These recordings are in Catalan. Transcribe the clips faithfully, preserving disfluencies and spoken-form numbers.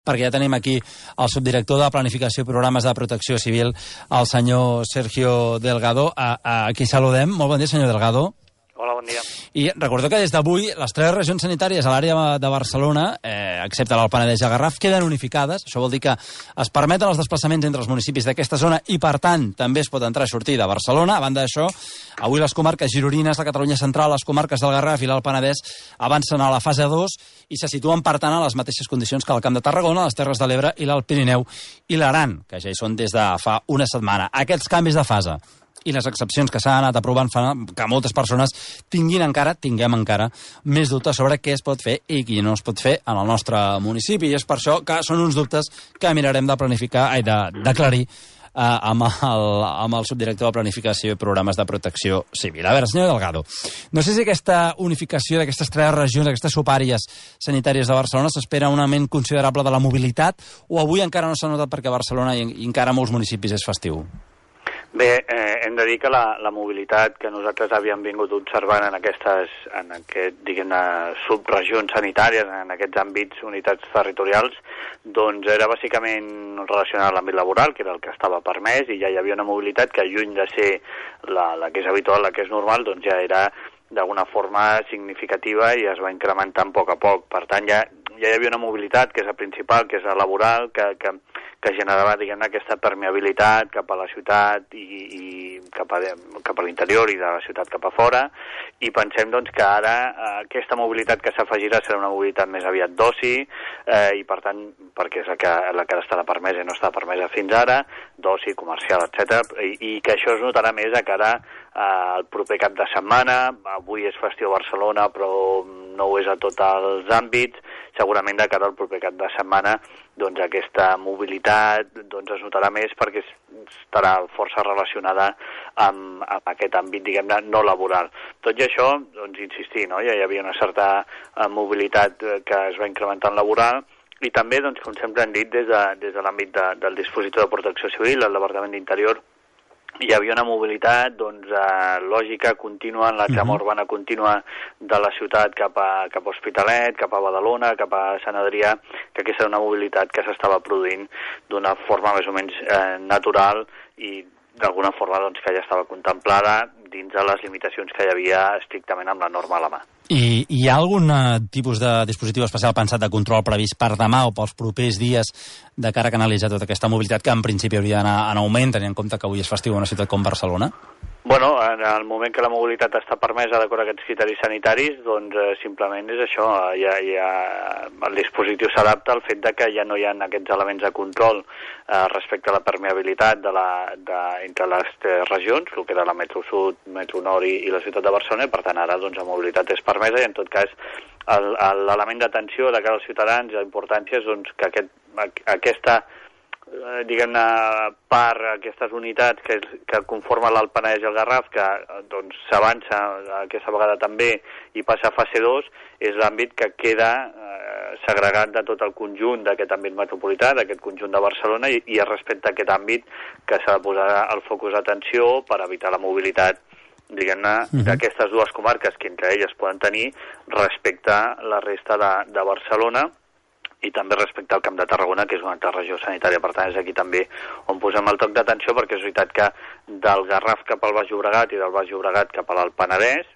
perquè ja tenim aquí el subdirector de Planificació i Programes de Protecció Civil, el senyor Sergio Delgado, a, a qui saludem. Molt bon dia, senyor Delgado. Hola, bon dia. I recordo que des d'avui les tres regions sanitàries a l'àrea de Barcelona, eh, excepte l'Alt Penedès i el Garraf, queden unificades. Això vol dir que es permeten els desplaçaments entre els municipis d'aquesta zona i, per tant, també es pot entrar i sortir de Barcelona. A banda d'això, avui les comarques gironines, la Catalunya Central, les comarques del Garraf i l'Alt Penedès avancen a la fase dos i se situen, per tant, a les mateixes condicions que el Camp de Tarragona, les Terres de l'Ebre i l'Alt Pirineu i l'Aran, que ja hi són des de fa una setmana. Aquests canvis de fase i les excepcions que s'han anat aprovant fan que moltes persones tinguin encara, tinguem encara, més dubtes sobre què es pot fer i què no es pot fer en el nostre municipi. I és per això que són uns dubtes que mirarem de planificar, ai, de, d'aclarir eh, amb, el, amb el subdirector de Planificació i Programes de Protecció Civil. A veure, senyor Delgado, no sé si aquesta unificació d'aquestes tres regions, aquestes subàrees sanitàries de Barcelona, s'espera un augment considerable de la mobilitat o avui encara no s'ha notat perquè a Barcelona i, i encara a molts municipis és festiu? Bé, eh, hem de dir que la, la mobilitat que nosaltres havíem vingut observant en aquestes, en aquest, diguem-ne, subregions sanitàries, en aquests àmbits, unitats territorials, doncs era bàsicament relacionada a l'àmbit laboral, que era el que estava permès, i ja hi havia una mobilitat que, lluny de ser la, la que és habitual, la que és normal, doncs ja era d'alguna forma significativa i es va incrementant a poc a poc. Per tant, ja, ja hi havia una mobilitat que és la principal, que és la laboral, que, que, que generava, diguem-ne, aquesta permeabilitat cap a la ciutat i, i cap a, cap a l'interior i de la ciutat cap a fora, i pensem, doncs, que ara eh, aquesta mobilitat que s'afegirà serà una mobilitat més aviat d'oci, eh, i per tant, perquè és la que, la que estarà permesa i no està permesa fins ara, d'oci, comercial, etcètera, i, i que això es notarà més a cara al eh, proper cap de setmana. Avui és festiu a Barcelona, però no ho és a tots els àmbits. Segurament de cara al proper cap de setmana, doncs aquesta mobilitat doncs es notarà més perquè estarà força relacionada amb, amb aquest àmbit, diguem-ne, no laboral. Tot i això, doncs insistir, no? Ja hi havia una certa mobilitat que es va incrementant laboral, i també, doncs, com sempre hem dit, des de, des de l'àmbit de, del dispositiu de protecció civil, el Departament d'Interior, hi havia una mobilitat doncs, eh, lògica, contínua, en la trama uh-huh. urbana contínua de la ciutat cap a, cap a Hospitalet, cap a Badalona, cap a Sant Adrià, que aquesta era una mobilitat que s'estava produint d'una forma més o menys eh, natural i d'alguna forma doncs, que ja estava contemplada dins de les limitacions que hi havia estrictament amb la norma a la mà. I hi ha algun tipus de dispositiu especial pensat de control previst per demà o pels propers dies de cara a canalitzar tota aquesta mobilitat que en principi hauria d'anar en augment, tenint en compte que avui és festiu a una ciutat com Barcelona? Bueno, en el moment que la mobilitat està permesa d'acord amb aquests criteris sanitaris, doncs eh, simplement és això, ja, ja, el dispositiu s'adapta al fet de que ja no hi ha aquests elements de control eh, respecte a la permeabilitat de la, de, entre les tres regions, el que era la Metro Sud, Metro Nord i, i la ciutat de Barcelona, i per tant ara doncs, la mobilitat és permesa i en tot cas l'element d'atenció de cara als ciutadans, la importància és doncs, que aquest, aquesta diguem-ne, part, aquestes unitats que, que conformen l'Alt Penedès i el Garraf, que doncs s'avança aquesta vegada també i passa a fase dos, és l'àmbit que queda eh, segregat de tot el conjunt d'aquest àmbit metropolità, d'aquest conjunt de Barcelona, i, i respecte a aquest àmbit que s'ha de posar el focus d'atenció per evitar la mobilitat, diguem-ne, uh-huh. d'aquestes dues comarques que entre elles poden tenir respecte a la resta de, de Barcelona, i també respecte al Camp de Tarragona, que és una altra regió sanitària. Per tant, és aquí també on posem el toc d'atenció, perquè és veritat que del Garraf cap al Baix Llobregat i del Baix Llobregat cap a l'Alt Penedès,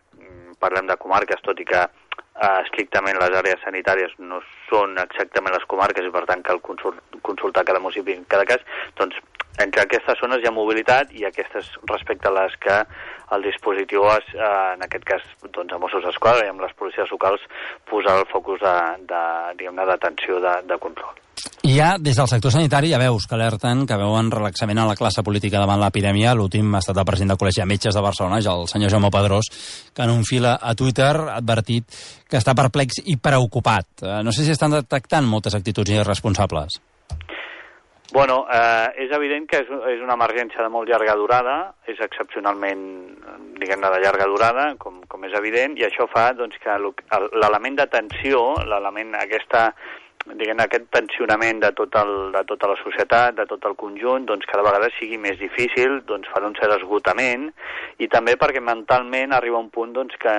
parlem de comarques, tot i que eh, estrictament les àrees sanitàries no són exactament les comarques i per tant cal consult, consultar cada municipi en cada cas, doncs entre aquestes zones hi ha mobilitat i aquestes respecte a les que el dispositiu és, eh, en aquest cas doncs, a Mossos d'Esquadra i amb les policies locals posar el focus de, de, diguem-ne, d'atenció de, de control. Hi ha, des del sector sanitari, ja veus que alerten, que veuen relaxament a la classe política davant l'epidèmia. L'últim ha estat el president del Col·legi de Metges de Barcelona, el senyor Jaume Pedrós, que en un fil a Twitter ha advertit que està perplex i preocupat. No sé si estan detectant moltes actituds irresponsables. Bueno, eh, és evident que és, és una emergència de molt llarga durada, és excepcionalment, diguem-ne, de llarga durada, com, com és evident, i això fa doncs, que l'element d'atenció, l'element aquesta diguem, aquest tensionament de, tot el, de tota la societat, de tot el conjunt, doncs cada vegada sigui més difícil, doncs farà un cert esgotament, i també perquè mentalment arriba un punt doncs, que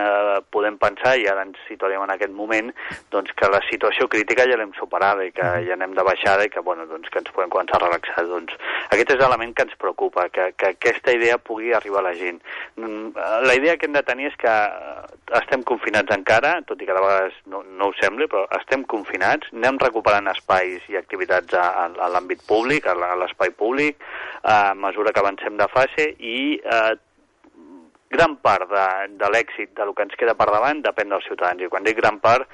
podem pensar, i ara ens situarem en aquest moment, doncs que la situació crítica ja l'hem superada i que ja anem de baixada i que, bueno, doncs, que ens podem començar a relaxar. Doncs, aquest és l'element que ens preocupa, que, que aquesta idea pugui arribar a la gent. La idea que hem de tenir és que estem confinats encara, tot i que de vegades no, no ho sembli, però estem confinats, anem recuperant espais i activitats a, a l'àmbit públic, a l'espai públic, a mesura que avancem de fase, i eh, gran part de, de l'èxit del que ens queda per davant depèn dels ciutadans. I quan dic gran part,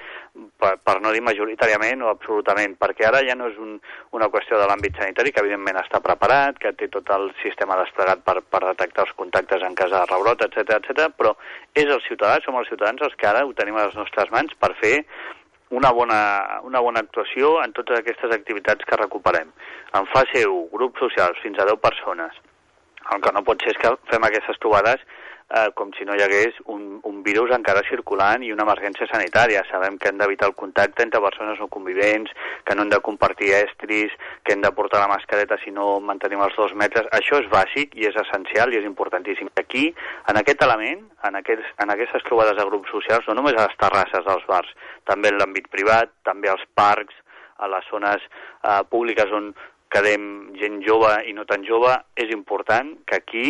per, per no dir majoritàriament o absolutament, perquè ara ja no és un, una qüestió de l'àmbit sanitari, que evidentment està preparat, que té tot el sistema desplegat per, per detectar els contactes en cas de rebrot, etcètera, etcètera, però és el ciutadà, som els ciutadans els que ara ho tenim a les nostres mans per fer una bona, una bona actuació en totes aquestes activitats que recuperem. En fase u, grups socials, fins a deu persones. El que no pot ser és que fem aquestes trobades eh, com si no hi hagués un, un virus encara circulant i una emergència sanitària. Sabem que hem d'evitar el contacte entre persones no convivents, que no hem de compartir estris, que hem de portar la mascareta si no mantenim els dos metres. Això és bàsic i és essencial i és importantíssim. Aquí, en aquest element, en, aquests, en aquestes trobades de grups socials, no només a les terrasses dels bars, també en l'àmbit privat, també als parcs, a les zones eh, públiques on quedem gent jove i no tan jove, és important que aquí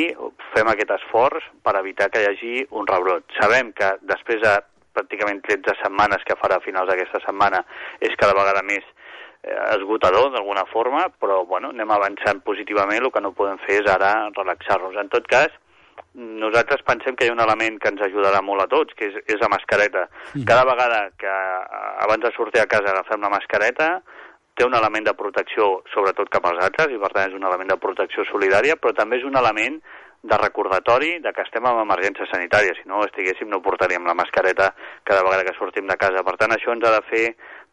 fem aquest esforç per evitar que hi hagi un rebrot. Sabem que després de pràcticament tretze setmanes que farà a finals d'aquesta setmana és cada vegada més eh, esgotador d'alguna forma, però bueno, anem avançant positivament, el que no podem fer és ara relaxar-nos. En tot cas, nosaltres pensem que hi ha un element que ens ajudarà molt a tots, que és, és la mascareta. Cada vegada que abans de sortir a casa agafem la mascareta, té un element de protecció, sobretot cap als altres, i per tant és un element de protecció solidària, però també és un element de recordatori de que estem en emergència sanitària. Si no estiguéssim, no portaríem la mascareta cada vegada que sortim de casa. Per tant, això ens ha de fer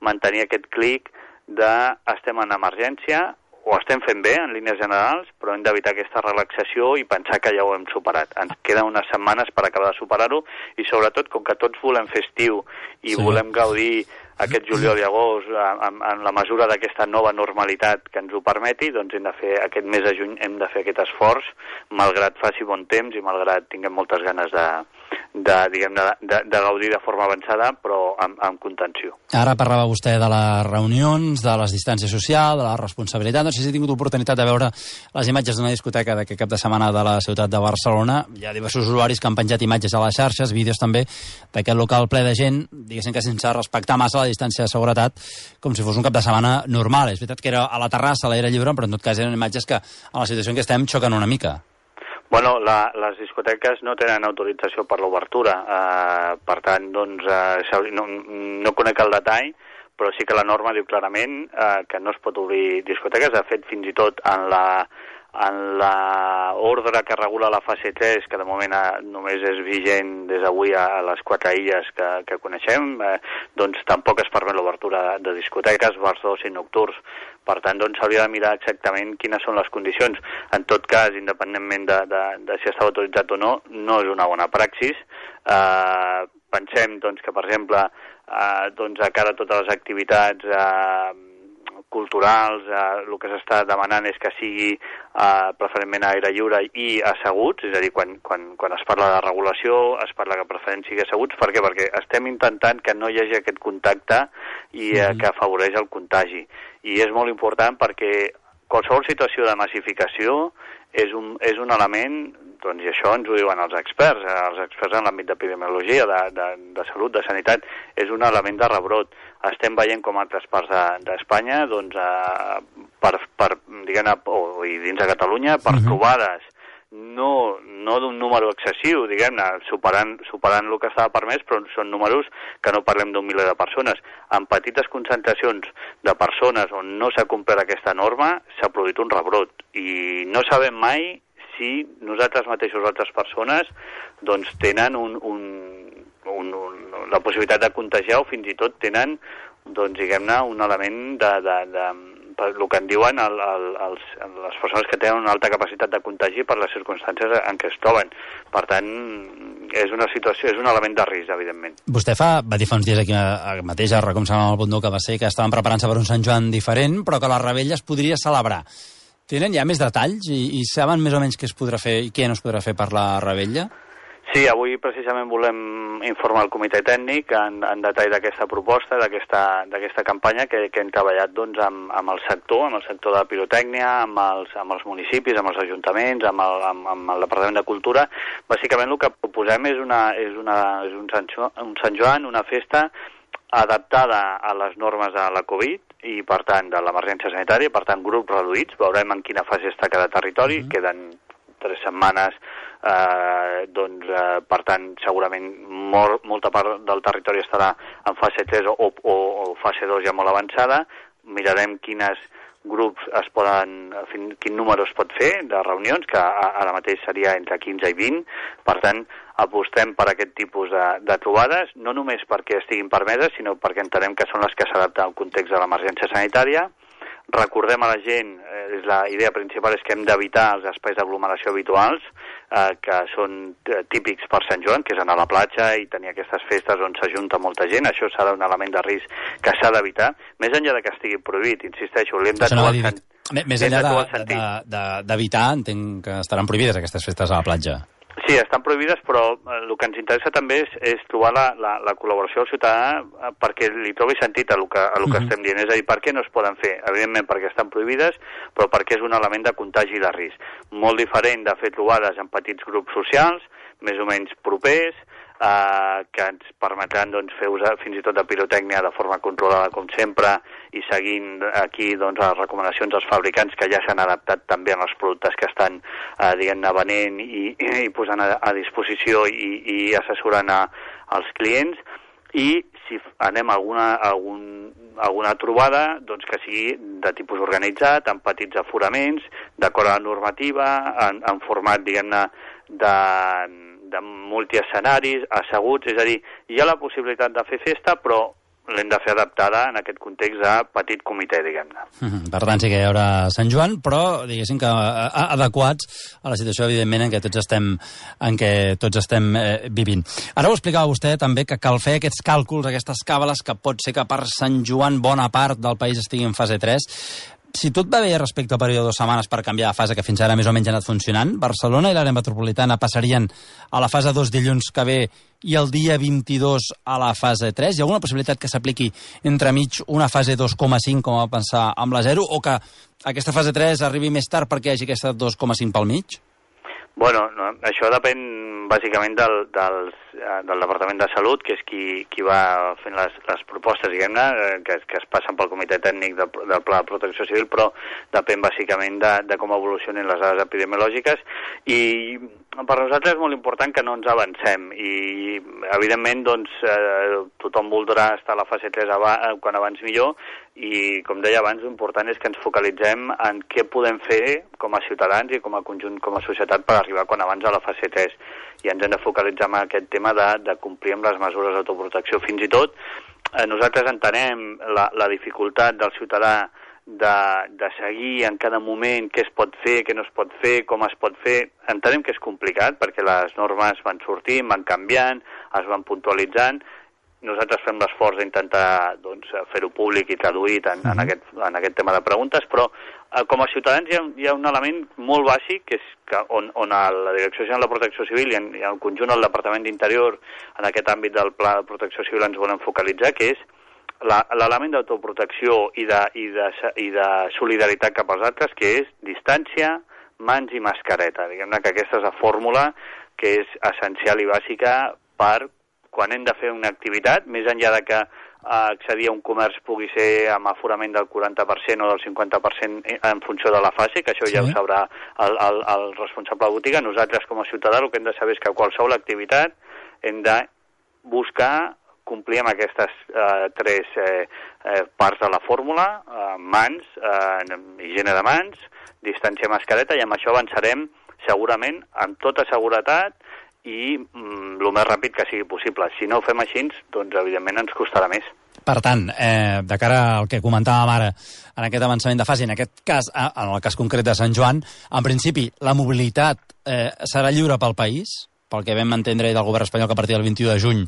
mantenir aquest clic de estem en emergència, ho estem fent bé en línies generals, però hem d'evitar aquesta relaxació i pensar que ja ho hem superat. Ens queden unes setmanes per acabar de superar-ho i sobretot, com que tots volem fer estiu i sí. volem gaudir aquest juliol i agost en, en la mesura d'aquesta nova normalitat que ens ho permeti, doncs hem de fer aquest mes de juny hem de fer aquest esforç, malgrat faci bon temps i malgrat tinguem moltes ganes de, de, diguem, de, de, de gaudir de forma avançada, però amb, amb contenció. Ara parlava vostè de les reunions, de les distàncies socials, de la responsabilitat. No sé si he tingut oportunitat de veure les imatges d'una discoteca d'aquest cap de setmana de la ciutat de Barcelona. Hi ha diversos usuaris que han penjat imatges a les xarxes, vídeos també, d'aquest local ple de gent, diguéssim que sense respectar massa la distància de seguretat, com si fos un cap de setmana normal. És veritat que era a la terrassa, a l'aire lliure, però en tot cas eren imatges que, en la situació en què estem, xoquen una mica. Bueno, la, les discoteques no tenen autorització per l'obertura, eh, per tant, doncs, eh, no, no conec el detall, però sí que la norma diu clarament eh, que no es pot obrir discoteques. De fet, fins i tot en la en l'ordre que regula la fase tres, que de moment eh, només és vigent des d'avui a les quatre illes que, que coneixem, eh, doncs tampoc es permet l'obertura de discoteques, bars d'oci nocturns. Per tant, doncs s'hauria de mirar exactament quines són les condicions. En tot cas, independentment de, de, de si està autoritzat o no, no és una bona praxis. Eh, pensem doncs, que, per exemple, eh, doncs, a cara a totes les activitats eh, culturals, eh, el que s'està demanant és que sigui eh, preferentment a aire lliure i asseguts, és a dir, quan, quan, quan es parla de regulació es parla que preferent sigui asseguts. Per què? Perquè estem intentant que no hi hagi aquest contacte i eh, que afavoreix el contagi. I és molt important perquè qualsevol situació de massificació és un, és un element, doncs, i això ens ho diuen els experts, els experts en l'àmbit d'epidemiologia, de, de, de salut, de sanitat, és un element de rebrot. Estem veient com altres parts d'Espanya, de, doncs, eh, per, per, diguem-ne, o, i dins de Catalunya, per uh-huh. trobades, no, no d'un número excessiu, diguem-ne, superant, superant el que estava permès, però són números que no parlem d'un miler de persones. En petites concentracions de persones on no s'ha complert aquesta norma, s'ha produït un rebrot. I no sabem mai si nosaltres mateixos o altres persones doncs, tenen un, un, un, un, la possibilitat de contagiar o fins i tot tenen doncs, diguem-ne, un element de, de, de, per el que en diuen el, el, els, les persones que tenen una alta capacitat de contagi per les circumstàncies en què es troben. Per tant, és una situació, és un element de risc, evidentment. Vostè fa, va dir fa uns dies aquí mateix, a Recomsam amb el Bundó, que va ser que estaven preparant-se per un Sant Joan diferent, però que la revetlla es podria celebrar. Tenen ja més detalls i, i saben més o menys què es podrà fer i què no es podrà fer per la revetlla? Sí, avui precisament volem informar el comitè tècnic en, en detall d'aquesta proposta, d'aquesta campanya que, que hem treballat doncs, amb, amb el sector, amb el sector de la pirotècnia, amb els, amb els municipis, amb els ajuntaments, amb el, amb, amb el Departament de Cultura. Bàsicament el que proposem és, una, és, una, és un, Sant Joan, un Sant Joan, una festa adaptada a les normes de la Covid i, per tant, de l'emergència sanitària, per tant, grups reduïts. Veurem en quina fase està cada territori, mm-hmm. queden tres setmanes, eh, doncs, eh, per tant, segurament molt, molta part del territori estarà en fase tres o, o, o fase dos ja molt avançada. Mirarem quines grups es poden, quin número es pot fer de reunions, que ara mateix seria entre quinze i vint. Per tant, apostem per aquest tipus de, de trobades, no només perquè estiguin permeses, sinó perquè entenem que són les que s'adapten al context de l'emergència sanitària. Recordem a la gent, eh, la idea principal és que hem d'evitar els espais d'aglomeració habituals, eh, que són típics per Sant Joan, que és anar a la platja i tenir aquestes festes on s'ajunta molta gent. Això serà un element de risc que s'ha d'evitar. Més enllà de que estigui prohibit, insisteixo, l'hem de trobar... No Més enllà d'evitar, entenc que estaran prohibides aquestes festes a la platja. Sí, estan prohibides, però el que ens interessa també és, és trobar la, la, la col·laboració del ciutadà perquè li trobi sentit a el que, a el que uh-huh. estem dient. És a dir, per què no es poden fer? Evidentment perquè estan prohibides, però perquè és un element de contagi i de risc. Molt diferent de fer trobades en petits grups socials, més o menys propers, eh, que ens permetran doncs, fer ús fins i tot de pirotècnia de forma controlada, com sempre, i seguint aquí doncs, les recomanacions dels fabricants que ja s'han adaptat també als productes que estan eh, diguem-ne venent i, i posant a, a disposició i, i assessorant a, als clients. I si anem a alguna, a algun, alguna trobada doncs que sigui de tipus organitzat, amb petits aforaments, d'acord a la normativa, en, en format diguem-ne de, de multiescenaris, asseguts, és a dir, hi ha la possibilitat de fer festa, però l'hem de fer adaptada en aquest context de petit comitè, diguem-ne. Mm-hmm. Per tant, sí que hi haurà Sant Joan, però, diguéssim, que adequats a la situació, evidentment, en què tots estem, en què tots estem eh, vivint. Ara ho explicava vostè, també, que cal fer aquests càlculs, aquestes càbales, que pot ser que per Sant Joan bona part del país estigui en fase tres. Si tot va bé respecte al període de dues setmanes per canviar de fase, que fins ara més o menys ha anat funcionant, Barcelona i l'àrea metropolitana passarien a la fase dos dilluns que ve i el dia vint-i-dos a la fase tres. Hi ha alguna possibilitat que s'apliqui entremig una fase dos coma cinc, com va pensar amb la zero, o que aquesta fase tres arribi més tard perquè hi hagi aquesta dos coma cinc pel mig? Bueno, no, això depèn bàsicament del, del, del Departament de Salut, que és qui, qui va fent les, les propostes, diguem-ne, que, que es passen pel Comitè Tècnic de, del Pla de Protecció Civil, però depèn bàsicament de, de com evolucionen les dades epidemiològiques. I per nosaltres és molt important que no ens avancem i, evidentment, doncs, eh, tothom voldrà estar a la fase tres abans, quan abans millor, i, com deia abans, l'important és que ens focalitzem en què podem fer com a ciutadans i com a conjunt, com a societat, per arribar quan abans a la fase tres. I ens hem de focalitzar en aquest tema de, de complir amb les mesures d'autoprotecció. Fins i tot, eh, nosaltres entenem la, la dificultat del ciutadà de, de seguir en cada moment què es pot fer, què no es pot fer, com es pot fer. Entenem que és complicat perquè les normes van sortint, van canviant, es van puntualitzant. Nosaltres fem l'esforç d'intentar doncs, fer-ho públic i traduït en, en, aquest, en aquest tema de preguntes, però eh, com a ciutadans hi ha, hi ha un element molt bàsic, que és que on, on a la Direcció General de Protecció Civil i en, i en el conjunt del Departament d'Interior, en aquest àmbit del Pla de Protecció Civil, ens volem focalitzar, que és l'element d'autoprotecció i de, i, de, i de solidaritat cap als altres, que és distància, mans i mascareta. Diguem-ne que aquesta és la fórmula que és essencial i bàsica per quan hem de fer una activitat, més enllà de que eh, accedir a un comerç pugui ser amb aforament del quaranta per cent o del cinquanta per cent en funció de la fase, que això sí. Ja ho sabrà el, el, el responsable de botiga. Nosaltres, com a ciutadà, el que hem de saber és que qualsevol activitat hem de buscar complir amb aquestes eh, tres eh, eh, parts de la fórmula, eh, mans, eh, higiene de mans, distància, mascareta, i amb això avançarem segurament amb tota seguretat i mm, el més ràpid que sigui possible. Si no ho fem així, doncs evidentment ens costarà més. Per tant, eh, de cara al que comentàvem ara, en aquest avançament de fase, en aquest cas, en el cas concret de Sant Joan, en principi, la mobilitat eh, serà lliure pel país, pel que vam entendre del govern espanyol que a partir del vint-i-u de juny,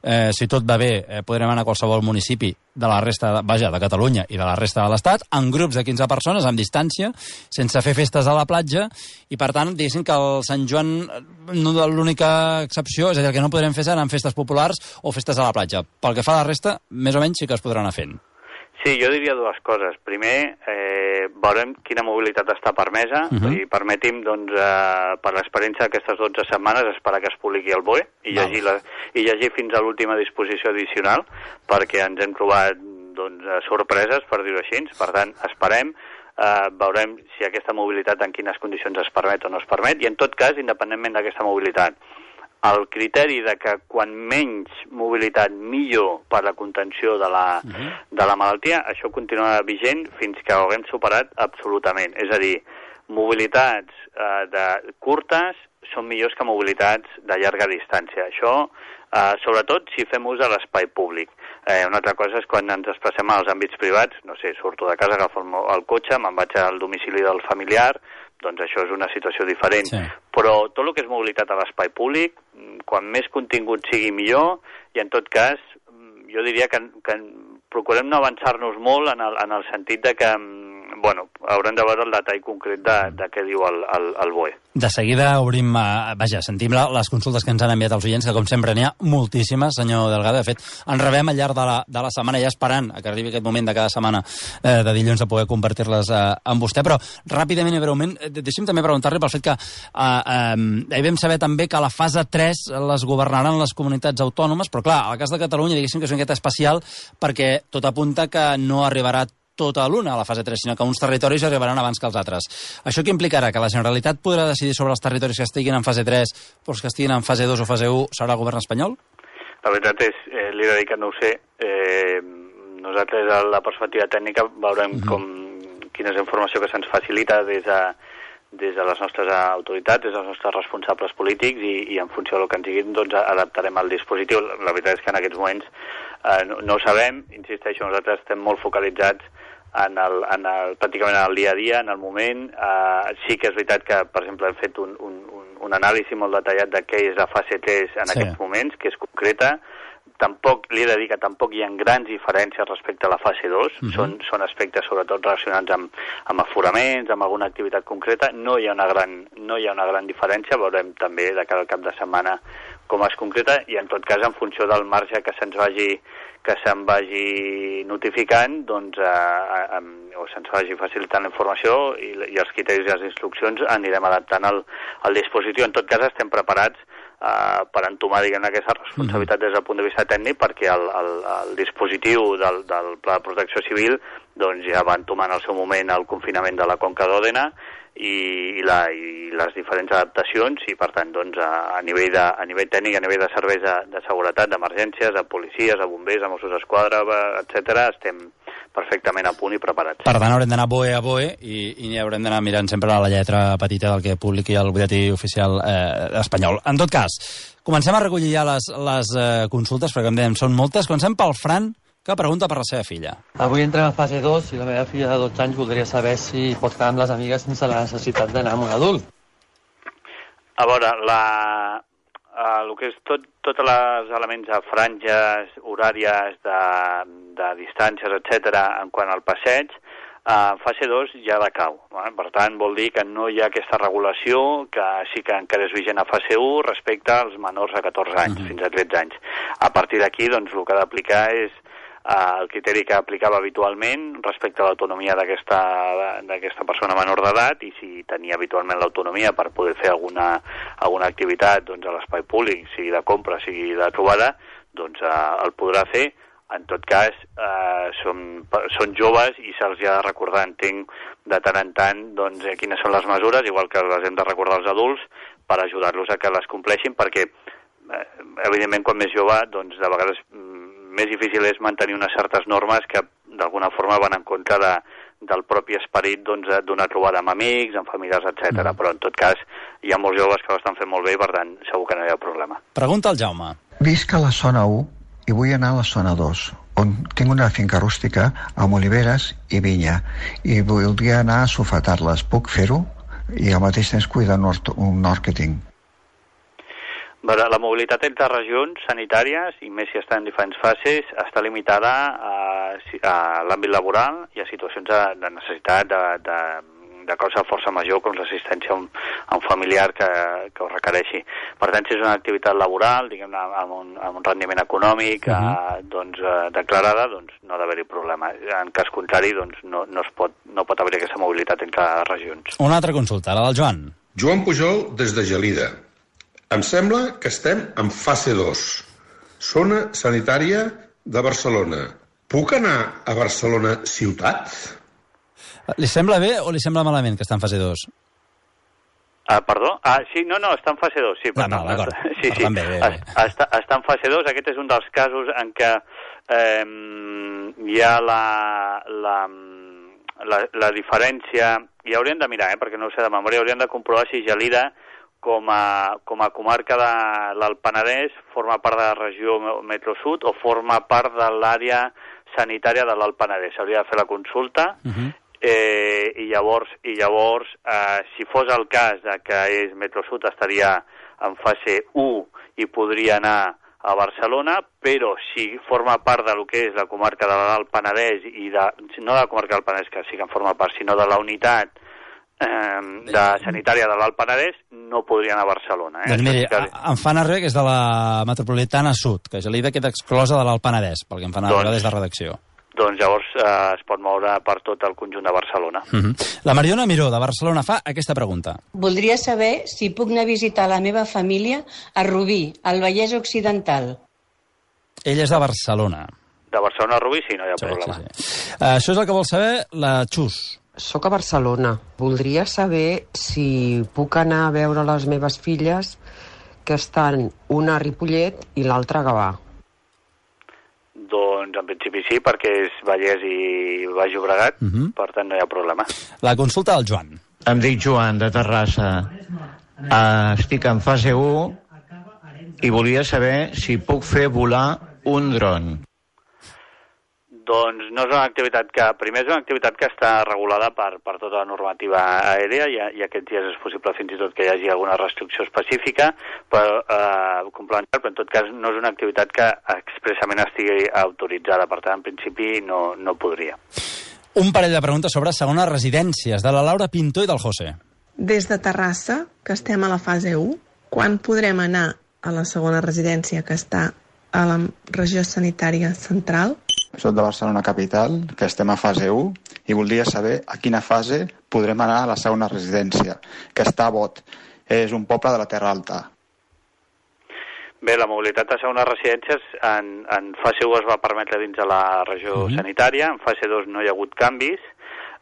eh, si tot va bé, eh, podrem anar a qualsevol municipi de la resta, de, vaja, de Catalunya i de la resta de l'Estat, en grups de quinze persones, amb distància, sense fer festes a la platja, i per tant, diguéssim que el Sant Joan, no, l'única excepció, és a dir, el que no podrem fer seran festes populars o festes a la platja. Pel que fa a la resta, més o menys sí que es podran anar fent. Sí, jo diria dues coses. Primer, eh, veurem quina mobilitat està permesa, uh-huh. i permeti'm, doncs, eh, per l'experiència d'aquestes dotze setmanes, esperar que es publiqui el B O E i llegir, la, i llegir fins a l'última disposició addicional, perquè ens hem trobat doncs, sorpreses, per dir-ho així. Per tant, esperem, eh, veurem si aquesta mobilitat en quines condicions es permet o no es permet, i en tot cas, independentment d'aquesta mobilitat, el criteri de que quan menys mobilitat millor per la contenció de la, uh-huh. de la malaltia, això continuarà vigent fins que ho haguem superat absolutament. És a dir, mobilitats eh, de curtes són millors que mobilitats de llarga distància. Això, eh, sobretot, si fem ús de l'espai públic. Eh, una altra cosa és quan ens desplacem als àmbits privats, no sé, surto de casa, agafo el cotxe, me'n vaig al domicili del familiar, doncs això és una situació diferent. Sí. Però tot el que és mobilitat a l'espai públic, quan més contingut sigui millor, i en tot cas, jo diria que, que procurem no avançar-nos molt en el, en el sentit de que, bueno, haurem de veure el detall concret de, de què diu el, el, el B O E. De seguida obrim, uh, vaja, sentim la, les consultes que ens han enviat els oients, que com sempre n'hi ha moltíssimes, senyor Delgado. De fet, ens rebem al llarg de la, de la setmana, ja esperant que arribi aquest moment de cada setmana eh, de dilluns de poder compartir-les eh, amb vostè, però ràpidament i breument, deixi'm també preguntar-li pel fet que eh, eh, vam saber també que a la fase tres les governaran les comunitats autònomes, però clar, al cas de Catalunya, diguéssim que és una miqueta especial, perquè tot apunta que no arribarà tota l'una a la fase tres, sinó que uns territoris arribaran abans que els altres. Això què implicarà? Que la Generalitat podrà decidir sobre els territoris que estiguin en fase tres, però els que estiguin en fase dos o fase u serà el govern espanyol? La veritat és, eh, li he de dir que no ho sé. Eh, nosaltres, a la perspectiva tècnica, veurem mm-hmm. com, quina és la informació que se'ns facilita des de, des de les nostres autoritats, des dels nostres responsables polítics, i, i en funció del que ens diguin, doncs adaptarem el dispositiu. La veritat és que en aquests moments eh, no, no ho sabem, insisteixo, nosaltres estem molt focalitzats en el, en el, pràcticament en el dia a dia, en el moment. Uh, sí que és veritat que, per exemple, hem fet un, un, un anàlisi molt detallat de què és la fase tres en sí. aquests moments, que és concreta. Tampoc, li he de dir que tampoc hi ha grans diferències respecte a la fase dos. Uh-huh. Són, són aspectes sobretot relacionats amb, amb aforaments, amb alguna activitat concreta. No hi ha una gran, no hi ha una gran diferència. Veurem també de cada cap de setmana com es concreta, i en tot cas, en funció del marge que se'ns vagi que se'n vagi notificant, doncs, eh, eh, o se'ns vagi facilitant la informació i, i els criteris i les instruccions anirem adaptant el, el dispositiu. En tot cas, estem preparats eh, per entomar, diguem, aquesta responsabilitat des del punt de vista tècnic, perquè el, el, el dispositiu del, del Pla de Protecció Civil doncs, ja va entomar en el seu moment el confinament de la Conca d'Òdena, i, i, la, i les diferents adaptacions, i per tant doncs, a, a, nivell de, a nivell tècnic, a nivell de serveis de, de seguretat, d'emergències, de policies, de bombers, de Mossos d'Esquadra, etcètera, estem perfectament a punt i preparats. Per tant, haurem d'anar B O E a B O E i, i haurem d'anar mirant sempre a la lletra petita del que publiqui el butlletí oficial eh, espanyol. En tot cas, comencem a recollir ja les, les eh, consultes, perquè com dèiem, són moltes. Comencem pel Fran, que pregunta per la seva filla. Avui entrem a fase dos i la meva filla de dotze anys voldria saber si pot quedar amb les amigues sense la necessitat d'anar amb un adult. A veure, la, uh, el que és tot, tots els elements de franges, horàries, de, de distàncies, etcètera, en quant al passeig, uh, fase dos ja decau. Eh? Per tant, vol dir que no hi ha aquesta regulació, que sí que encara és vigent a fase u respecte als menors de catorze anys, uh-huh. fins a tretze anys. A partir d'aquí, doncs, el que ha d'aplicar és Uh, el criteri que aplicava habitualment respecte a l'autonomia d'aquesta d'aquesta persona menor d'edat, i si tenia habitualment l'autonomia per poder fer alguna, alguna activitat doncs, a l'espai públic, sigui de compra, sigui de trobada, doncs uh, el podrà fer. En tot cas, uh, són, són joves i se'ls ha de recordar, entenc, de tant en tant, doncs, quines són les mesures, igual que les hem de recordar als adults, per ajudar-los a que les compleixin, perquè, uh, evidentment, quan més jove, doncs, de vegades més difícil és mantenir unes certes normes que d'alguna forma van en contra de, del propi esperit doncs, d'una trobada amb amics, amb familiars, etcètera. Mm. Però, en tot cas, hi ha molts joves que ho estan fent molt bé i, per tant, segur que no hi ha problema. Pregunta al Jaume. Visc a la zona u i vull anar a la zona dos, on tinc una finca rústica amb oliveres i vinya, i voldria anar a sofetar-les. Puc fer-ho? I al mateix temps cuidar un hort, un hort que tinc. La mobilitat entre regions sanitàries, i més si està en diferents fases, està limitada a, a l'àmbit laboral i a situacions de, de necessitat, de, de, de causa de força major, com l'assistència a, un, a un familiar que, que ho requereixi. Per tant, si és una activitat laboral, diguem-ne, amb, un, amb un rendiment econòmic uh-huh. eh, doncs, eh, declarada, doncs no ha d'haver-hi problema. En cas contrari, doncs, no, no, es pot, no pot haver aquesta mobilitat entre regions. Una altra consulta, la del Joan. Joan Pujol, des de Gelida. Em sembla que estem en fase dos, zona sanitària de Barcelona. Puc anar a Barcelona ciutat? Li sembla bé o li sembla malament que està en fase dos? Ah, perdó? Ah, sí, no, no, està en fase dos, sí. No, no, d'acord. Sí, sí, bé, bé, bé. Està, està en fase dos. Aquest és un dels casos en què eh, hi ha la, la, la, la diferència, i haurien de mirar, eh, perquè no ho sé de memòria, haurien de comprovar si Gelida com a, com a comarca de l'Alt Penedès forma part de la regió Metro-Sud o forma part de l'àrea sanitària de l'Alt Penedès. S'hauria de fer la consulta uh-huh. eh, i llavors, i llavors eh, si fos el cas de que és Metro-Sud estaria en fase u i podria anar a Barcelona, però si forma part de lo que és la comarca de l'Alt Penedès i de, no de la comarca del Penedès, que sí que en forma part, sinó de la unitat de sanitària de l'Alt Penedès, no podria anar a Barcelona. Eh? Doncs miri, em fan arribar que és de la metropolitana sud, que Gelida queda exclosa de l'Alt Penedès, pel que em fan arribar doncs, des de redacció. Doncs llavors eh, es pot moure per tot el conjunt de Barcelona. Uh-huh. La Mariona Miró, de Barcelona, fa aquesta pregunta. Voldria saber si puc anar a visitar la meva família a Rubí, al Vallès Occidental. Ell és de Barcelona. De Barcelona a Rubí, sí, no hi ha sí, problema. Sí, sí. Uh, això és el que vol saber la Xus. Soc a Barcelona. Voldria saber si puc anar a veure les meves filles que estan una a Ripollet i l'altra a Gavà. Doncs en principi sí, perquè és Vallès i Baix Llobregat, uh-huh. per tant no hi ha problema. La consulta del Joan. Em dic Joan, de Terrassa. Uh, estic en fase u i volia saber si puc fer volar un dron. Doncs no és una activitat que, primer és una activitat que està regulada per, per tota la normativa aèria i, i aquests dies és possible fins i tot que hi hagi alguna restricció específica però, eh, complementar, però en tot cas no és una activitat que expressament estigui autoritzada, per tant en principi no, no podria. Un parell de preguntes sobre segones residències, de la Laura Pinto i del José. Des de Terrassa, que estem a la fase u, quan podrem anar a la segona residència que està a la regió sanitària central? Soc de Barcelona capital, que estem a fase u, i voldria saber a quina fase podrem anar a la segona residència, que està a Bot. És un poble de la Terra Alta. Bé, la mobilitat a segones residències en, en fase u es va permetre dins de la regió uh-huh. sanitària, en fase dos no hi ha hagut canvis.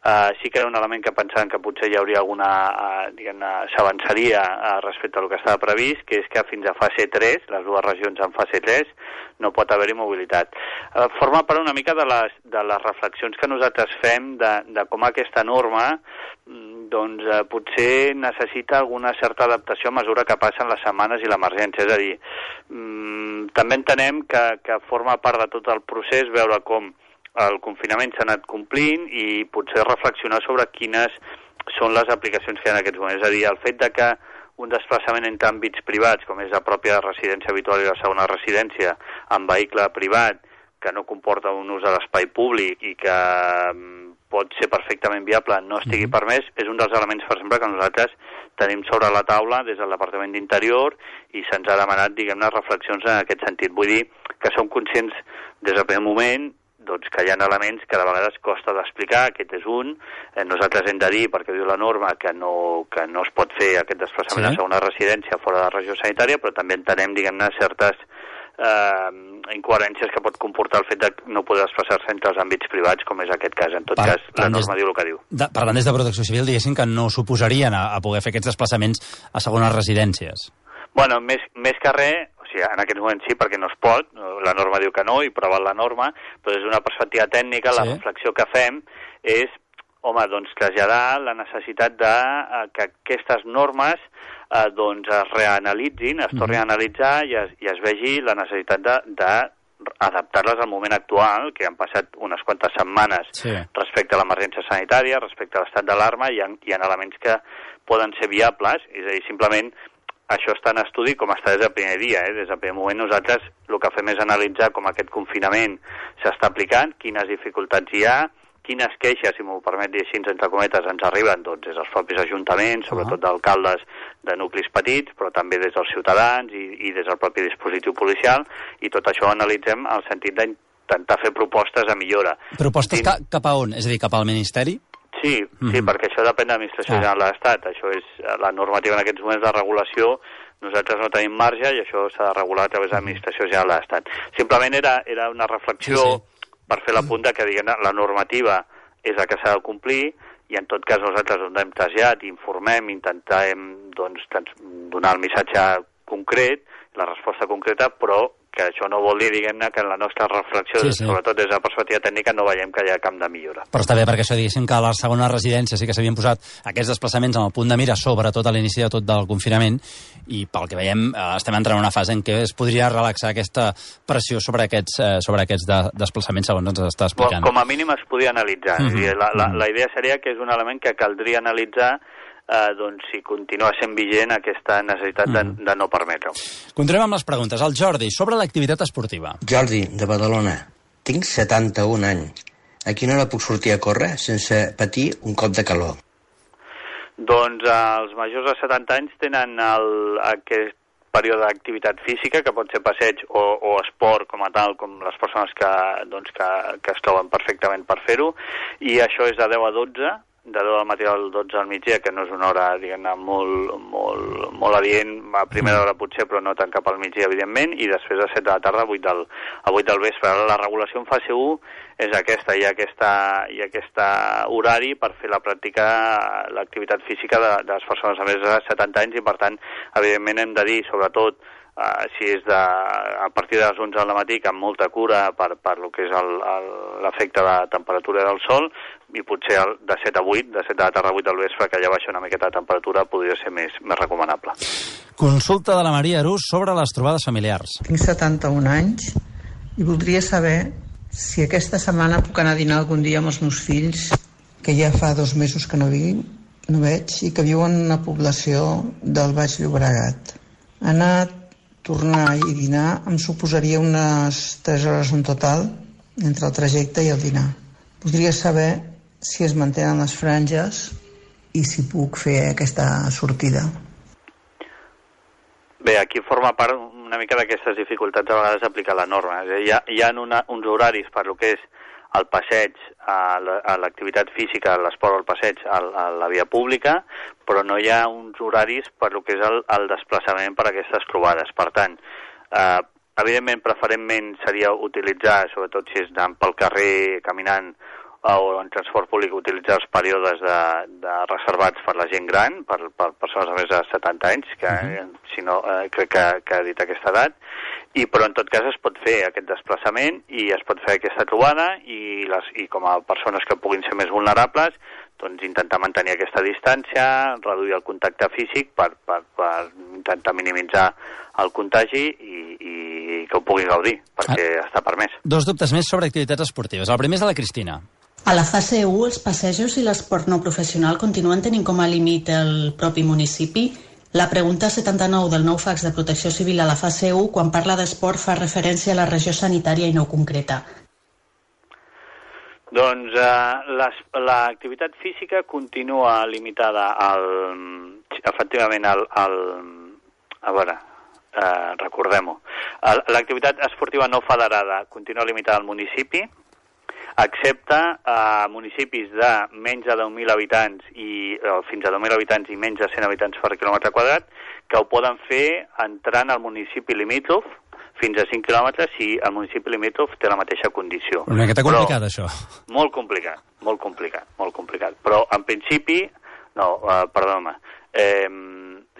Uh, sí que era un element que pensaven que potser hi hauria alguna, uh, diguem-ne, s'avançaria uh, respecte al que estava previst, que és que fins a fase tres, les dues regions en fase tres, no pot haver-hi mobilitat. Uh, forma part una mica de les, de les reflexions que nosaltres fem de, de com aquesta norma doncs uh, potser necessita alguna certa adaptació a mesura que passen les setmanes i l'emergència. És a dir, um, també entenem que, que forma part de tot el procés veure com el confinament s'ha anat complint i potser reflexionar sobre quines són les aplicacions que hi ha en aquests moments. És a dir, el fet de que un desplaçament entre àmbits privats, com és la pròpia residència habitual i la segona residència, en vehicle privat, que no comporta un ús de l'espai públic i que pot ser perfectament viable, no estigui permès, és un dels elements, per exemple, que nosaltres tenim sobre la taula des del Departament d'Interior i se'ns ha demanat, diguem-ne, reflexions en aquest sentit. Vull dir que som conscients des del primer moment doncs que hi ha elements que de vegades costa d'explicar, aquest és un, eh, nosaltres hem de dir, perquè diu la norma, que no, que no es pot fer aquest desplaçament sí. a segona residència fora de la regió sanitària, però també entenem, diguem-ne, certes eh, incoherències que pot comportar el fet de no poder desplaçar-se entre els àmbits privats, com és aquest cas. En tot per, cas, la norma diu el que diu. De, parlant des de Protecció Civil, diguéssim que no s'oposarien a, a poder fer aquests desplaçaments a segones residències. Bueno, més, més que res, o sigui, en aquest moment sí, perquè no es pot, la norma diu que no, i prova la norma, però des d'una perspectiva tècnica, sí. la reflexió que fem és home, doncs traslladar la necessitat de uh, que aquestes normes uh, doncs es reanalitzin, es tornin a analitzar i es, i es vegi la necessitat de, de adaptar-les al moment actual, que han passat unes quantes setmanes sí. respecte a l'emergència sanitària, respecte a l'estat d'alarma, i hi ha, hi ha elements que poden ser viables, és a dir, simplement això està en estudi com està des del primer dia. Eh? Des del primer moment nosaltres el que fem és analitzar com aquest confinament s'està aplicant, quines dificultats hi ha, quines queixes, si m'ho permet dir així, entre cometes, ens arriben doncs, des dels propis ajuntaments, sobretot d'alcaldes de nuclis petits, però també des dels ciutadans i, i des del propi dispositiu policial, i tot això ho analitzem en el sentit d'intentar fer propostes de millora. Propostes Dins... ca cap a on? És a dir, cap al Ministeri? Sí, mm-hmm. sí, perquè això depèn de l'Administració ah. General de l'Estat. Això és la normativa en aquests moments de regulació. Nosaltres no tenim marge i això s'ha de regular a través de l'Administració General de l'Estat. Simplement era, era una reflexió sí, sí. per fer la punta que diguem, la normativa és la que s'ha de complir i en tot cas nosaltres on hem traslladat, informem, intentem doncs, donar el missatge concret, la resposta concreta, però que això no vol dir, diguem-ne, que en la nostra reflexió, sí, sí. sobretot des de la perspectiva tècnica, no veiem que hi ha camp de millora. Però està bé, perquè això diguéssim que a la segona residència sí que s'havien posat aquests desplaçaments en el punt de mira, sobretot a l'inici de tot del confinament, i pel que veiem eh, estem entrant en una fase en què es podria relaxar aquesta pressió sobre aquests, eh, sobre aquests de, desplaçaments, segons ens està explicant. Com a mínim es podia analitzar. Mm-hmm. És a dir, la, la, la idea seria que és un element que caldria analitzar Uh, doncs si continua sent vigent aquesta necessitat de, mm. de no permetre-ho. Continuem amb les preguntes. El Jordi, sobre l'activitat esportiva. Jordi, de Badalona. Tinc setanta-un anys. A quina hora puc sortir a córrer sense patir un cop de calor? Doncs uh, els majors de setanta anys tenen el, aquest període d'activitat física, que pot ser passeig o, o esport com a tal, com les persones que, doncs, que, que es troben perfectament per fer-ho, i això és de deu a dotze, de deu del matí al dotze al migdia, que no és una hora, diguem-ne, molt, molt, molt adient, a primera hora potser, però no tant cap al migdia, evidentment, i després de set de la tarda a vuit del, a vuit del vespre. La regulació en fase u és aquesta, hi ha aquesta, hi ha aquesta horari per fer la pràctica, l'activitat física de, de les persones a més de setanta anys, i per tant, evidentment hem de dir, sobretot, Uh, si és de, a partir de les onze del matí, que amb molta cura per, per lo que és l'efecte de la temperatura del sol, i potser el, de set a vuit, de set de la tarda a vuit del vespre, que ja baixa una miqueta de temperatura, podria ser més, més recomanable. Consulta de la Maria Arús sobre les trobades familiars. Tinc setanta-un anys i voldria saber si aquesta setmana puc anar a dinar algun dia amb els meus fills, que ja fa dos mesos que no, vi, no veig, i que viuen en una població del Baix Llobregat. Anar tornar i dinar em suposaria unes tres hores en total entre el trajecte i el dinar. Voldria saber si es mantenen les franges i si puc fer aquesta sortida. Bé, aquí forma part una mica d'aquestes dificultats a vegades d'aplicar la norma. Hi ha, hi ha una, uns horaris per lo que és el passeig, a l'activitat física, a l'esport o el passeig a, a la via pública, però no hi ha uns horaris per lo que és el, el desplaçament per a aquestes trobades. Per tant, eh, evidentment, preferentment seria utilitzar, sobretot si és anant pel carrer, caminant, o en transport públic, utilitzar els períodes de, de reservats per la gent gran, per, per persones de més de setanta anys, que uh-huh. si no, eh, crec que, que ha dit aquesta edat, i però en tot cas es pot fer aquest desplaçament i es pot fer aquesta trobada i, les, i com a persones que puguin ser més vulnerables, doncs intentar mantenir aquesta distància, reduir el contacte físic per, per, per intentar minimitzar el contagi i, i que ho pugui gaudir, perquè ah. està permès. Dos dubtes més sobre activitats esportives. El primer és de la Cristina. A la fase u, els passejos i l'esport no professional continuen tenint com a límit el propi municipi. La pregunta setanta-nou del nou fax de Protecció Civil a la fase u, quan parla d'esport, fa referència a la regió sanitària i no concreta. Doncs eh, l'activitat física continua limitada al, efectivament al, al a veure, eh, recordem-ho. L'activitat esportiva no federada continua limitada al municipi, excepte a municipis de menys de deu mil habitants i eh, fins a deu mil habitants i menys de cent habitants per quilòmetre quadrat, que ho poden fer entrant al municipi limítrof fins a cinc quilòmetres si el municipi limítrof té la mateixa condició. Una miqueta complicat, però, això. Molt complicat, molt complicat, molt complicat. Però, en principi, no, uh, perdona-me, eh,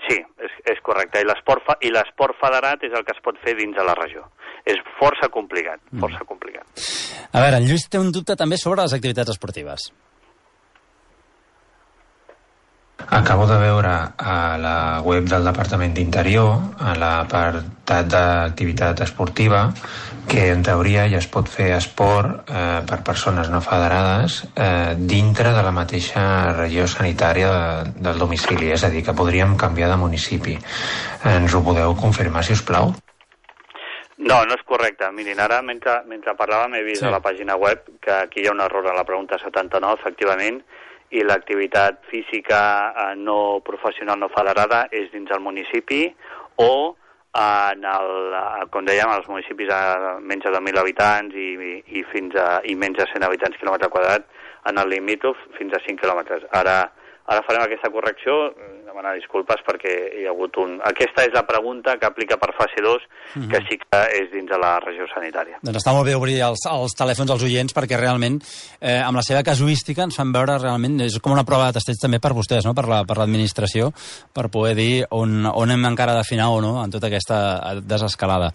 sí, és, és correcte. I l'esport fa, i l'esport federat és el que es pot fer dins de la regió. És força complicat, força mm. complicat. A veure, en Lluís té un dubte també sobre les activitats esportives. Acabo de veure a la web del Departament d'Interior, a l'apartat d'activitat esportiva, que en teoria ja es pot fer esport eh, per persones no federades eh, dintre de la mateixa regió sanitària de, del domicili, és a dir, que podríem canviar de municipi. Ens ho podeu confirmar, si us plau? No, no és correcte. Mirin, ara, mentre, mentre parlàvem, he vist sí. a la pàgina web que aquí hi ha un error a la pregunta setanta-nou, efectivament, i l'activitat física eh, no professional no federada és dins el municipi o en el, com dèiem, als municipis a menys de deu mil habitants i, i, i, fins a, i menys de cent habitants quilòmetre quadrat, en el limítrof fins a cinc quilòmetres. Ara, ara farem aquesta correcció, demanar disculpes perquè hi ha hagut un... Aquesta és la pregunta que aplica per fase dos, mm-hmm. que sí que és dins de la regió sanitària. Doncs està molt bé obrir els, els telèfons als oients perquè realment, eh, amb la seva casuística, ens fan veure realment... És com una prova de testeig també per vostès, no? per, la, per l'administració, per poder dir on, on hem encara d'afinar o no en tota aquesta desescalada.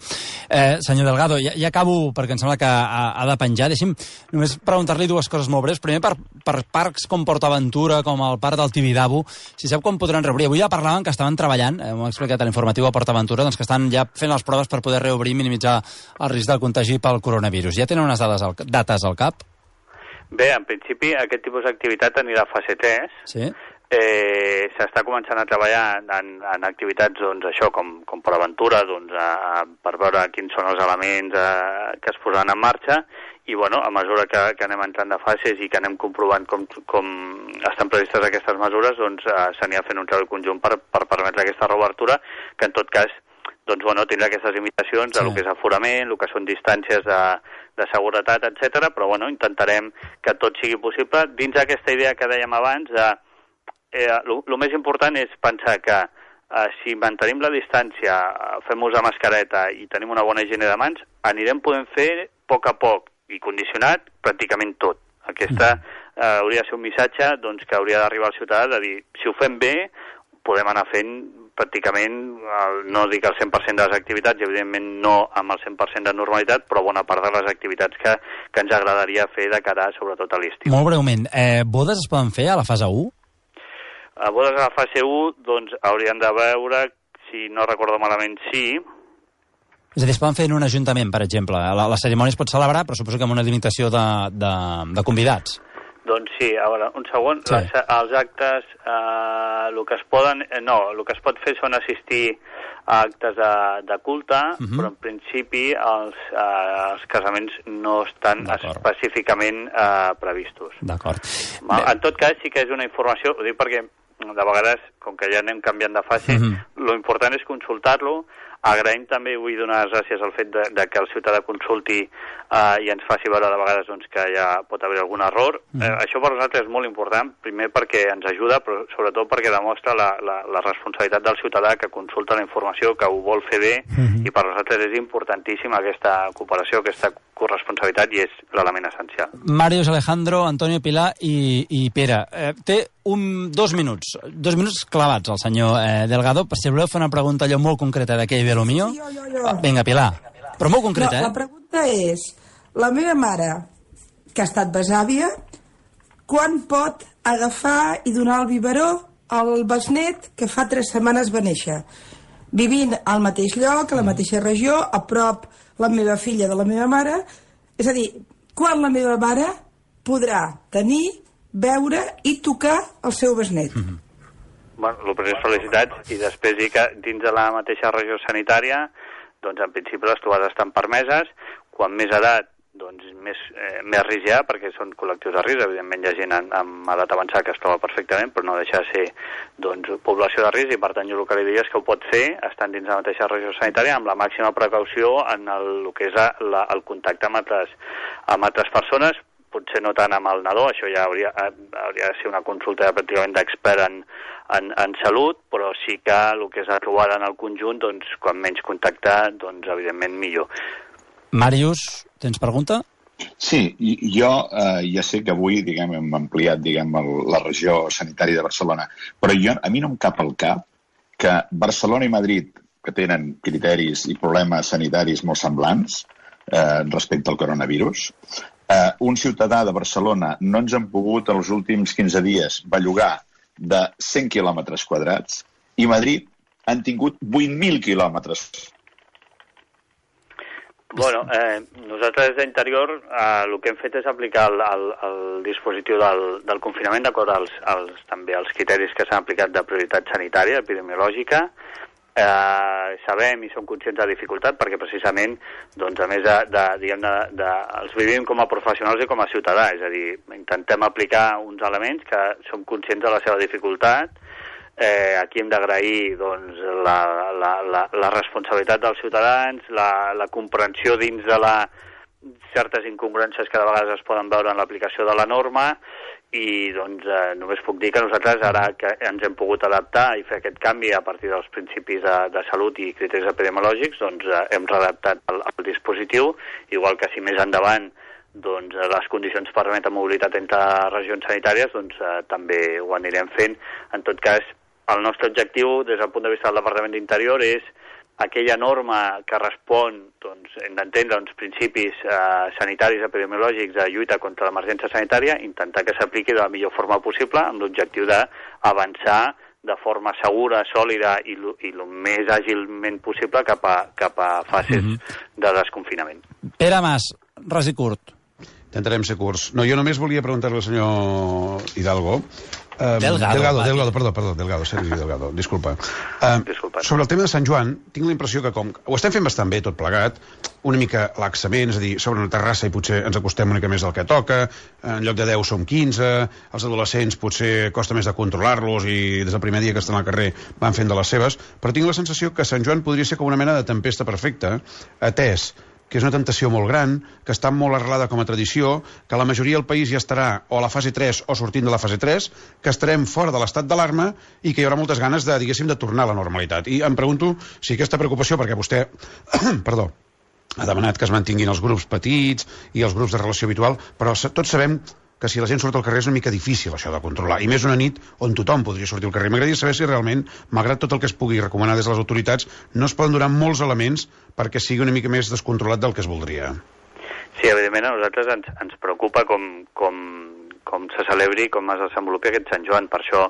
Eh, senyor Delgado, ja, ja acabo perquè em sembla que ha, ha de penjar. Deixi'm només preguntar-li dues coses molt breus. Primer, per, per parcs com PortAventura, com el parc del Tibidabo, si sap com podran reobrir. Avui ja parlaven que estaven treballant, eh, m'ho ha explicat a l'informatiu a PortAventura, doncs que estan ja fent les proves per poder reobrir i minimitzar el risc del contagi pel coronavirus. Ja tenen unes dades al, dates al cap? Bé, en principi aquest tipus d'activitat anirà a fase tres. Sí. Eh, s'està començant a treballar en, en activitats, doncs, això, com, com PortAventura, doncs, a, a, per veure quins són els elements a, que es posaran en marxa, i bueno, a mesura que, que anem entrant de fases i que anem comprovant com, com estan previstes aquestes mesures, doncs eh, s'anirà fent un treball conjunt per, per permetre aquesta reobertura, que en tot cas doncs, bueno, tindrà aquestes limitacions sí. a lo que és aforament, el que són distàncies de, de seguretat, etcètera. Però bueno, intentarem que tot sigui possible dins d'aquesta idea que dèiem abans de eh, el més important és pensar que eh, si mantenim la distància, fem ús de mascareta i tenim una bona higiene de mans, anirem podent fer a poc a poc i condicionat pràcticament tot. Aquesta eh, hauria de ser un missatge doncs, que hauria d'arribar al ciutadà de dir, si ho fem bé, podem anar fent pràcticament, el, no dic el cent per cent de les activitats, i evidentment no amb el cent per cent de normalitat, però bona part de les activitats que, que ens agradaria fer de cara sobretot a l'estiu. Molt breument, eh, bodes es poden fer a la fase u? A bodes a la fase u, doncs hauríem de veure, si no recordo malament, sí. És a dir, es poden fer en un ajuntament, per exemple. La, la cerimònia es pot celebrar, però suposo que amb una limitació de, de, de convidats. Doncs sí, a veure, un segon. Sí. Les, els actes, eh, el que es poden... Eh, no, el que es pot fer són assistir a actes de, de culte, uh-huh. però en principi els, eh, els casaments no estan específicament eh, previstos. D'acord. En tot cas, sí que és una informació, ho dic perquè de vegades, com que ja anem canviant de fase, uh-huh. lo important és consultar-lo. Agraïm també, vull donar les gràcies al fet de, de que el ciutadà consulti eh, i ens faci veure de vegades doncs, que ja pot haver algun error. Mm. Eh, això per nosaltres és molt important, primer perquè ens ajuda, però sobretot perquè demostra la, la, la responsabilitat del ciutadà que consulta la informació, que ho vol fer bé, mm-hmm. i per nosaltres és importantíssima aquesta cooperació, aquesta corresponsabilitat, i és l'element essencial. Màrius, Alejandro, Antonio, Pilar i, i Pere. Eh, té un, dos minuts, dos minuts clavats al senyor eh, Delgado, per si voleu fer una pregunta allò molt concreta d'aquell ve lo mío. Jo, jo, jo. Vinga, Pilar, però molt concreta, no, eh? La pregunta és, la meva mare, que ha estat besàvia, quan pot agafar i donar el biberó al besnet que fa tres setmanes va néixer? Vivint al mateix lloc, a la mateixa regió, a prop la meva filla de la meva mare, és a dir, quan la meva mare podrà tenir, veure i tocar el seu besnet? Mm-hmm. Bueno, el primer felicitats, i després dir que dins de la mateixa regió sanitària, doncs en principi les trobades estan permeses. Quan més edat, doncs més, eh, més risc hi ha, perquè són col·lectius de risc. Evidentment hi ha gent amb edat avançada que es troba perfectament, però no deixa de ser doncs, població de risc, i per tant jo el que li diria és que ho pot fer estant dins de la mateixa regió sanitària amb la màxima precaució en el, el que és la, el contacte amb altres, amb altres persones, potser no tant amb el nadó, això ja hauria, hauria de ser una consulta pràcticament d'expert en, en, en salut, però sí que el que és la trobada en el conjunt, doncs, quan menys contacte, doncs, evidentment, millor. Màrius, tens pregunta? Sí, jo eh, ja sé que avui diguem, hem ampliat diguem, el, la regió sanitària de Barcelona, però jo, a mi no em cap al cap que Barcelona i Madrid, que tenen criteris i problemes sanitaris molt semblants eh, respecte al coronavirus, Uh, un ciutadà de Barcelona no ens han pogut els últims quinze dies bellugar de cent quilòmetres quadrats i Madrid han tingut vuit mil quilòmetres. Bueno, eh, nosaltres d'Interior eh, el que hem fet és aplicar el, el, el dispositiu del, del confinament d'acord als, als, també als criteris que s'han aplicat de prioritat sanitària, epidemiològica. Eh, sabem i som conscients de la dificultat perquè precisament, doncs, a més de, de, diguem, de, de, els vivim com a professionals i com a ciutadà, és a dir, intentem aplicar uns elements que som conscients de la seva dificultat. Eh, aquí hem d'agrair doncs, la, la, la, la responsabilitat dels ciutadans, la, la comprensió dins de la, certes incongruències que de vegades es poden veure en l'aplicació de la norma i doncs, eh, només puc dir que nosaltres ara que ens hem pogut adaptar i fer aquest canvi a partir dels principis de, de salut i criteris epidemiològics, doncs eh, hem readaptat el, el dispositiu, igual que si més endavant doncs, les condicions permeten mobilitat entre regions sanitàries, doncs eh, també ho anirem fent. En tot cas, el nostre objectiu, des del punt de vista del Departament d'Interior, és aquella norma que respon, doncs, hem d'entendre uns principis eh, sanitaris epidemiològics de lluita contra l'emergència sanitària, intentar que s'apliqui de la millor forma possible amb l'objectiu d'avançar de forma segura, sòlida i el més àgilment possible cap a, cap a fases mm-hmm. de desconfinament. Pere Mas, res i curt. Intentarem ser curts. No, jo només volia preguntar-li al senyor Hidalgo. Um, Delgado, Delgado, Delgado, perdó, perdó, Delgado, Sergi Delgado, disculpa. Um, disculpa. Sobre el tema de Sant Joan, tinc la impressió que com ho estem fent bastant bé tot plegat, una mica laxament, és a dir, sobre una terrassa i potser ens acostem una mica més del que toca, en lloc de deu som quinze, els adolescents potser costa més de controlar-los i des del primer dia que estan al carrer van fent de les seves, però tinc la sensació que Sant Joan podria ser com una mena de tempesta perfecta, atès que és una tentació molt gran, que està molt arrelada com a tradició, que la majoria del país ja estarà o a la fase tres o sortint de la fase tres, que estarem fora de l'estat d'alarma i que hi haurà moltes ganes de, diguéssim, de tornar a la normalitat. I em pregunto si aquesta preocupació, perquè vostè, perdó, ha demanat que es mantinguin els grups petits i els grups de relació habitual, però tots sabem que si la gent surt al carrer és una mica difícil això de controlar, i més una nit on tothom podria sortir al carrer. M'agradaria saber si realment, malgrat tot el que es pugui recomanar des de les autoritats, no es poden donar molts elements perquè sigui una mica més descontrolat del que es voldria. Sí, evidentment a nosaltres ens, ens preocupa com, com, com se celebri, com es desenvolupi aquest Sant Joan. Per això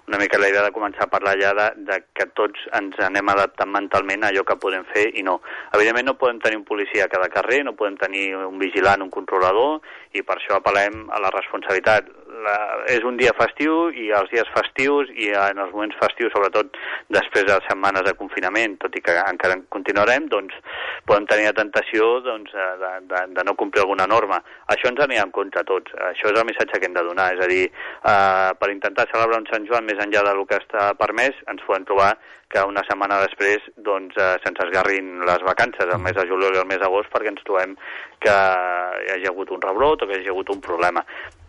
una mica la idea de començar a parlar ja de, de que tots ens anem adaptant mentalment a allò que podem fer i no. Evidentment no podem tenir un policia a cada carrer, no podem tenir un vigilant, un controlador, i per això apel·lem a la responsabilitat. La, és un dia festiu i els dies festius i en els moments festius, sobretot després de setmanes de confinament, tot i que encara continuarem, doncs podem tenir la tentació doncs, de, de, de no complir alguna norma. Això ens anirà en compte a tots. Això és el missatge que hem de donar. És a dir, eh, per intentar celebrar un Sant Joan més enllà del que està permès, ens podem trobar que una setmana després doncs, eh, se'ns esgarrin les vacances, el mes de juliol i el mes d'agost, perquè ens trobem que hi hagi hagut un rebrot o que hi hagi hagut un problema.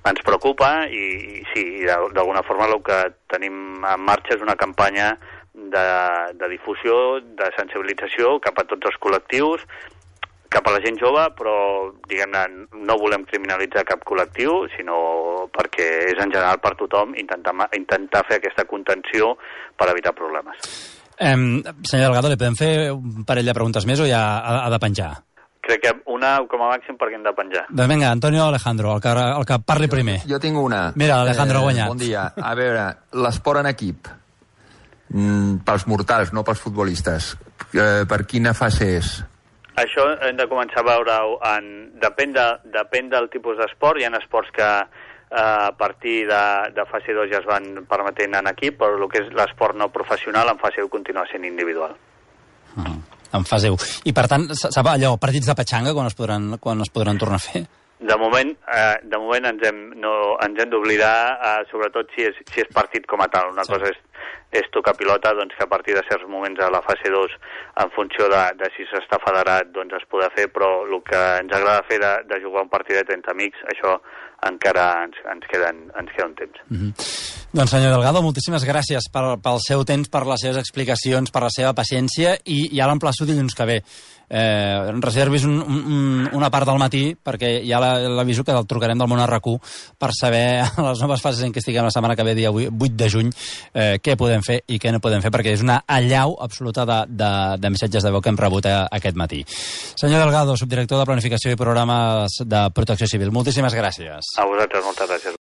Ens preocupa i, i sí, d'alguna forma el que tenim en marxa és una campanya de, de difusió, de sensibilització cap a tots els col·lectius, cap a la gent jove, però diguem-ne, no volem criminalitzar cap col·lectiu, sinó perquè és en general per tothom intentar, intentar fer aquesta contenció per evitar problemes. Eh, senyor Delgado, li podem fer un parell de preguntes més o ja ha, ha de penjar? Crec que una com a màxim perquè hem de penjar. Doncs vinga, Antonio Alejandro, el que, el que parli primer. Jo, jo tinc una. Mira, Alejandro ha guanyat. Bon dia. A veure, l'esport en equip, mm, pels mortals, no pels futbolistes, eh, per quina fase és? Això hem de començar a veure, en, depèn, de, depèn del tipus d'esport. Hi ha esports que eh, a partir de, de fase dos ja es van permetent en equip, però el que és l'esport no professional en fase u continua sent individual. Uh-huh. En fase u. I per tant, sap allò, partits de petxanga quan es podran, quan es podran tornar a fer? De moment, eh, de moment ens hem, no, ens hem d'oblidar, eh, sobretot si és, si és partit com a tal. Una sí. cosa és, és tocar pilota, doncs que a partir de certs moments a la fase dos, en funció de, de si s'està federat, doncs es podrà fer, però el que ens agrada fer de, de jugar un partidet entre amics, això encara ens, ens, queden, ens queda un temps. Mm-hmm. Doncs senyor Delgado, moltíssimes gràcies per, pel seu temps, per les seves explicacions, per la seva paciència, i ja l'emplaço dilluns que ve. Eh, reservis un, un, una part del matí, perquè ja l'aviso que el trucarem del món R Q per saber a les noves fases en què estiguem la setmana que ve, dia vuit de juny, eh, què podem fer i què no podem fer, perquè és una allau absoluta de, de, de missatges de veu que hem rebut a, aquest matí. Senyor Delgado, subdirector de Planificació i Programes de Protecció Civil, moltíssimes gràcies. A vosaltres, moltes gràcies.